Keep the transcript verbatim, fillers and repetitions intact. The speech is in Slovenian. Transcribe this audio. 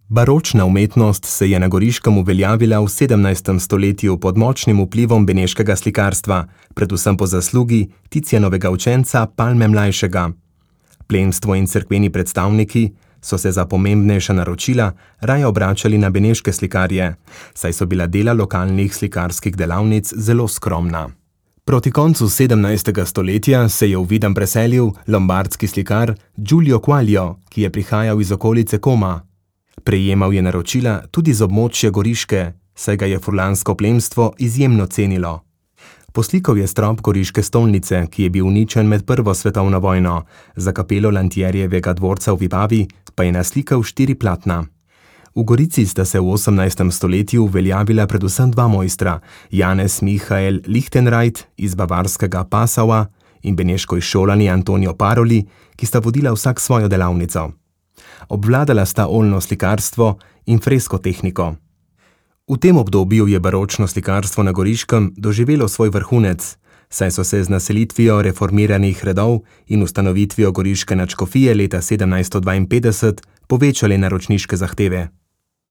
Baročna umetnost se je na Goriškem uveljavila v sedemnajstem stoletju pod močnim vplivom beneškega slikarstva, predvsem po zaslugi Ticijanovega učenca Palme Mlajšega. Plemstvo in cerkveni predstavniki so se za pomembnejša naročila raje obračali na beneške slikarje, saj so bila dela lokalnih slikarskih delavnic zelo skromna. Proti koncu sedemnajstega stoletja se je v Videm preselil lombardski slikar Giulio Quaglio, ki je prihajal iz okolice Koma. Prejemal je naročila tudi z območja Goriške, saj ga je furlansko plemstvo izjemno cenilo. Poslikal je strop goriške stolnice, ki je bil uničen med prvo svetovno vojno, za kapelo Lantierjevega dvorca v Vipavi pa je naslikal štiri platna. V Gorici sta se v osemnajstem stoletju uveljavila predvsem dva mojstra, Janez Michael Lichtenreit iz bavarskega Passaua in beneško izšolani Antonio Paroli, ki sta vodila vsak svojo delavnico. Obvladala sta oljno slikarstvo in fresko tehniko. V tem obdobju je baročno slikarstvo na Goriškem doživelo svoj vrhunec, saj so se z naselitvijo reformiranih redov in ustanovitvijo goriške nadškofije leta sedemnajststo dvainpetdeset povečale naročniške zahteve.